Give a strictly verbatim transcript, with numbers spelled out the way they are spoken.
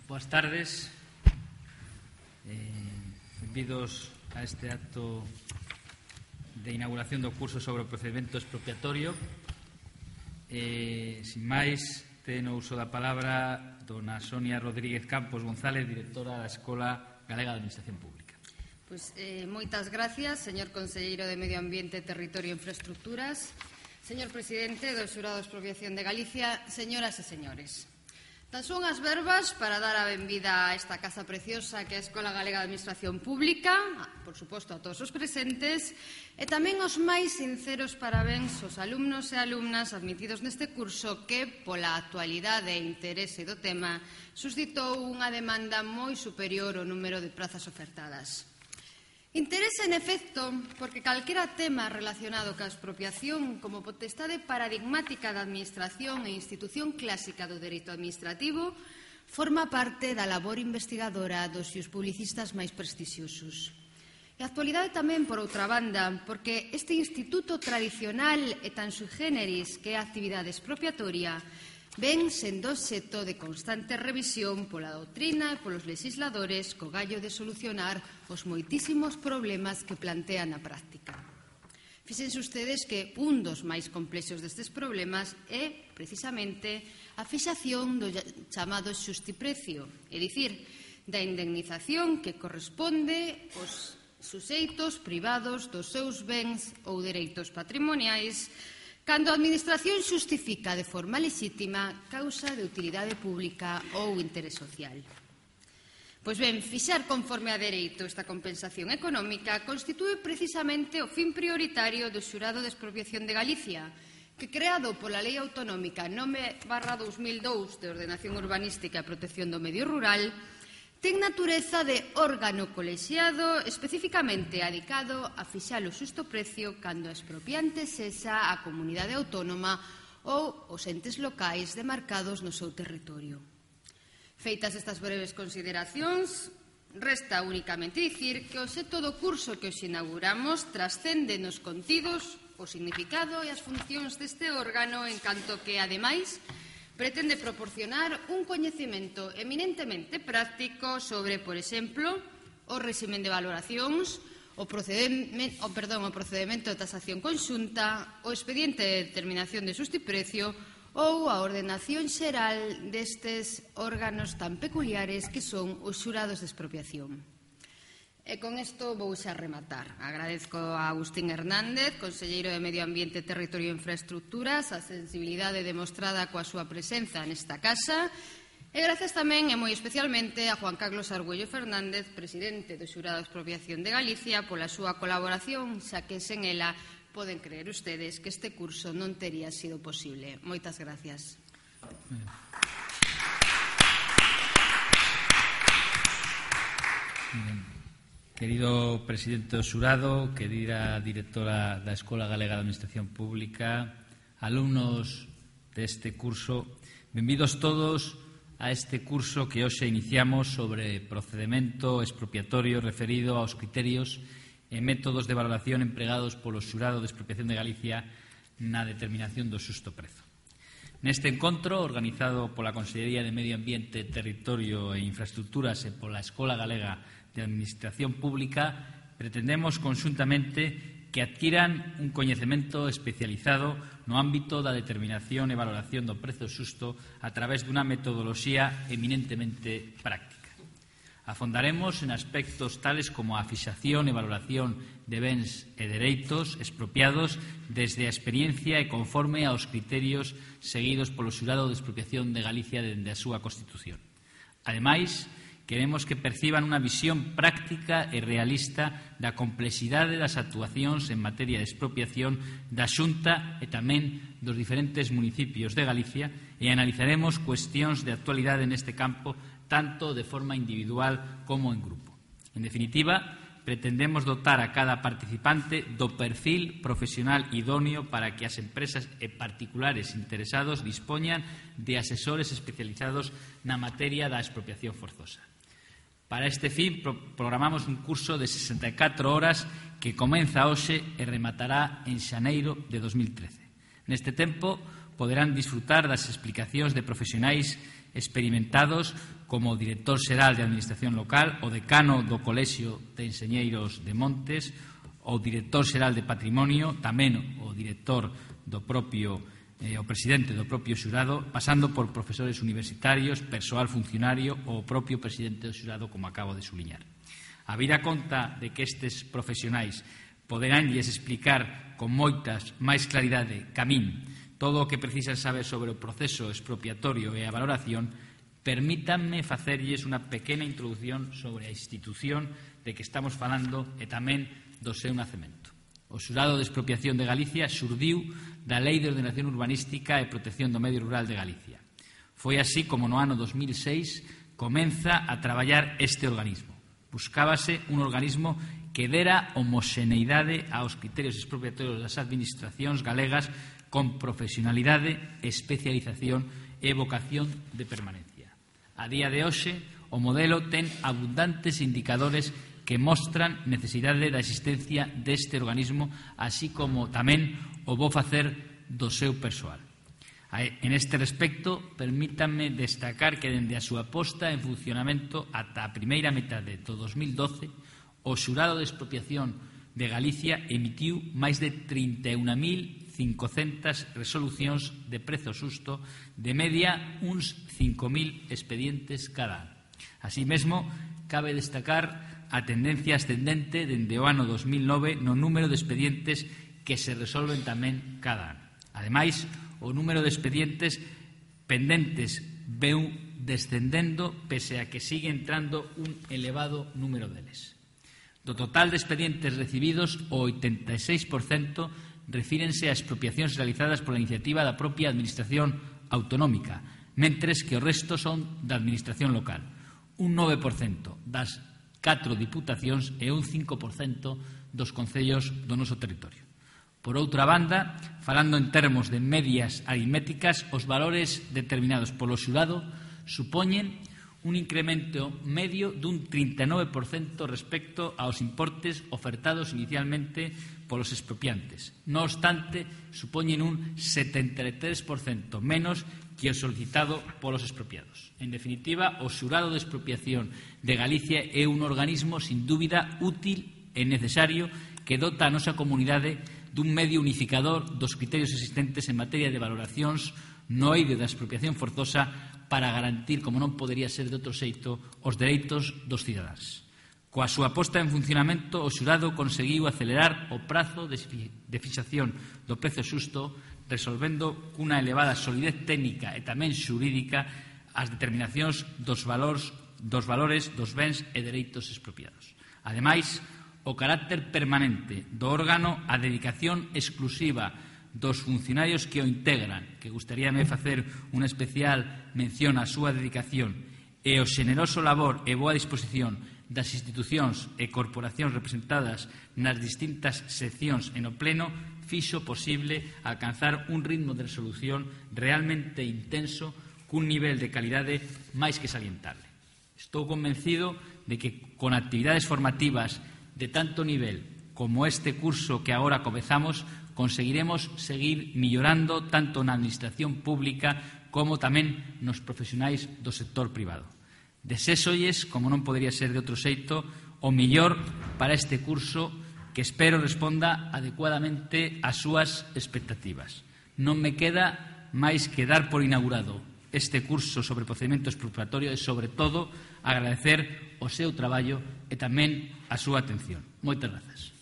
Boas tardes. Eh, benvidos a este acto de inauguración do curso sobre o procedimento expropiatorio. Eh, sin máis, ten o uso da palabra dona Sonia Rodríguez Campos González, directora da Escola Galega de Administración Pública. Pois, eh, moitas gracias, señor Conselleiro de Medio Ambiente, Territorio e Infraestructuras, señor Presidente do Xurado de Expropiación de Galicia, señoras e señores. Tan son as verbas para dar a benvida a esta casa preciosa que é a Escola Galega de Administración Pública, por suposto a todos os presentes, e tamén os máis sinceros parabéns aos alumnos e alumnas admitidos neste curso que, pola actualidade e interese do tema, suscitou unha demanda moi superior ao número de prazas ofertadas. Interese, en efecto, porque calquera tema relacionado ca expropiación como potestade paradigmática da administración e institución clásica do dereito administrativo forma parte da labor investigadora dos seus publicistas máis prestixiosos. E a actualidade tamén, por outra banda, porque este instituto tradicional e tan sui generis que é a actividade expropiatoria ven sendo obxecto de constante revisión pola doutrina e polos legisladores co gallo de solucionar os moitísimos problemas que plantean na práctica. Fíxense ustedes que un dos máis complexos destes problemas é, precisamente, a fixación do chamado xustiprecio, é dicir, da indemnización que corresponde aos suxeitos privados dos seus bens ou dereitos patrimoniais cando a Administración xustifica de forma lexítima causa de utilidade pública ou interés social. Pois ben, fixar conforme a dereito esta compensación económica constitúe precisamente o fin prioritario do Xurado de Expropiación de Galicia, que, creado pola Lei Autonómica nove barra dos mil dous de Ordenación Urbanística e Protección do Medio Rural, ten natureza de órgano colexiado especificamente adicado a fixar o xusto precio cando a expropiante sexa a comunidade autónoma ou os entes locais demarcados no seu territorio. Feitas estas breves consideracións, resta únicamente dicir que o obxecto do curso que os inauguramos trascende nos contidos, o significado e as funcións deste órgano en canto que, ademais, pretende proporcionar un coñecemento eminentemente práctico sobre, por exemplo, o réximen de valoracións, o procedimento, o, perdón, o procedimento de tasación conxunta, o expediente de determinación de xustiprecio ou a ordenación xeral destes órganos tan peculiares que son os xurados de expropiación. E con isto vou xa rematar. Agradezco a Agustín Hernández, Conselleiro de Medio Ambiente, Territorio e Infraestructuras, a sensibilidade demostrada coa súa presenza nesta casa, e gracias tamén e moi especialmente a Juan Carlos Argüello Fernández, Presidente do Xurado de Expropiación de Galicia, pola súa colaboración, xa que sen ela poden creer ustedes que este curso non tería sido posible. Moitas gracias. Bien. Querido Presidente do Xurado, querida Directora da Escola Galega de Administración Pública, alumnos deste curso, benvidos todos a este curso que hoxe iniciamos sobre procedimento expropiatorio referido aos criterios e métodos de valoración empregados polo Xurado de Expropiación de Galicia na determinación do xusto prezo. Neste encontro, organizado pola Consellería de Medio Ambiente, Territorio e Infraestructuras e pola Escola Galega de Administración Pública, pretendemos conxuntamente que adquiran un coñecemento especializado no ámbito da determinación e valoración do prezo xusto a través dunha metodoloxía eminentemente práctica. Afondaremos en aspectos tales como a fixación e valoración de bens e dereitos expropiados desde a experiencia e conforme aos criterios seguidos polo Xurado de Expropiación de Galicia dende a súa Constitución. Ademais, queremos que perciban unha visión práctica e realista da complexidade das actuacións en materia de expropiación da Xunta e tamén dos diferentes municipios de Galicia e analizaremos cuestións de actualidade neste campo tanto de forma individual como en grupo. En definitiva, pretendemos dotar a cada participante do perfil profesional idóneo para que as empresas e particulares interesados dispoñan de asesores especializados na materia da expropiación forzosa. Para este fin, programamos un curso de sesenta e catro horas que comeza hoxe e rematará en xaneiro de dos mil trece. Neste tempo, poderán disfrutar das explicacións de profesionais experimentados como o director xeral de Administración Local, o decano do Colexio de Enxeñeiros de Montes, o director xeral de Patrimonio, tamén o director do propio, eh, o presidente do propio xurado, pasando por profesores universitarios, persoal funcionario ou o propio presidente do xurado, como acabo de subliñar. Habida conta de que estes profesionais poderánlles explicar con moitas máis claridade ca min todo o que precisan saber sobre o proceso expropiatorio e a valoración, permítanme facerlles unha pequena introdución sobre a institución de que estamos falando e tamén do seu nacemento. O xurado de expropiación de Galicia xurdiu da Lei de Ordenación Urbanística e Protección do Medio Rural de Galicia. Foi así como no ano dos mil seis comeza a traballar este organismo. Buscábase un organismo que dera homoxeneidade aos criterios expropiatorios das administracións galegas con profesionalidade, especialización e vocación de permanencia. A día de hoxe, o modelo ten abundantes indicadores que mostran necesidade da existencia deste organismo, así como tamén o bo facer do seu persoal. En este respecto, permítanme destacar que dende a súa posta en funcionamento ata a primeira metade do dos mil doce, o xurado de expropiación de Galicia emitiu máis de trinta e un mil cincocentas resolucións de prezo xusto, de media uns cinco mil expedientes cada ano. Así mesmo, cabe destacar a tendencia ascendente dende o ano dos mil nove no número de expedientes que se resolven tamén cada ano. Ademais, o número de expedientes pendentes veu descendendo pese a que sigue entrando un elevado número deles. Do total de expedientes recibidos, o oitenta e seis por cento refírense a expropiacións realizadas pola iniciativa da propia Administración autonómica, mentres que o resto son da Administración local, un nove por cento das catro diputacións e un cinco por cento dos concellos do noso territorio. Por outra banda, falando en termos de medias aritméticas, os valores determinados polo xurado supoñen un incremento medio dun trinta e nove por cento respecto aos importes ofertados inicialmente polos expropiantes. No obstante, supoñen un setenta e tres por cento menos que o solicitado polos expropiados. En definitiva, o xurado de expropiación de Galicia é un organismo sin dúbida útil e necesario que dota a nosa comunidade dun medio unificador dos criterios existentes en materia de valoracións no eido da expropiación forzosa para garantir, como non podería ser de outro xeito, os dereitos dos cidadáns. Coa súa posta en funcionamento, o xurado conseguiu acelerar o prazo de fixación do prezo xusto, resolvendo cunha elevada solidez técnica e tamén xurídica as determinacións dos valores, dos valores dos bens e dereitos expropiados. Ademais, o carácter permanente do órgano, a dedicación exclusiva dos funcionarios que o integran, que gustaríame facer unha especial mención á súa dedicación, e o xeneroso labor e boa disposición das institucións e corporacións representadas nas distintas seccións e no pleno, fixo posible alcanzar un ritmo de resolución realmente intenso cun nivel de calidade máis que salientable. Estou convencido de que con actividades formativas de tanto nivel como este curso que agora comezamos, conseguiremos seguir millorando tanto na administración pública como tamén nos profesionais do sector privado. Deséxolles, como non podería ser de outro xeito, o mellor para este curso que espero responda adecuadamente ás súas expectativas. Non me queda máis que dar por inaugurado este curso sobre procedimento expropiatorio e, sobre todo, agradecer o seu traballo e tamén a súa atención. Moitas grazas.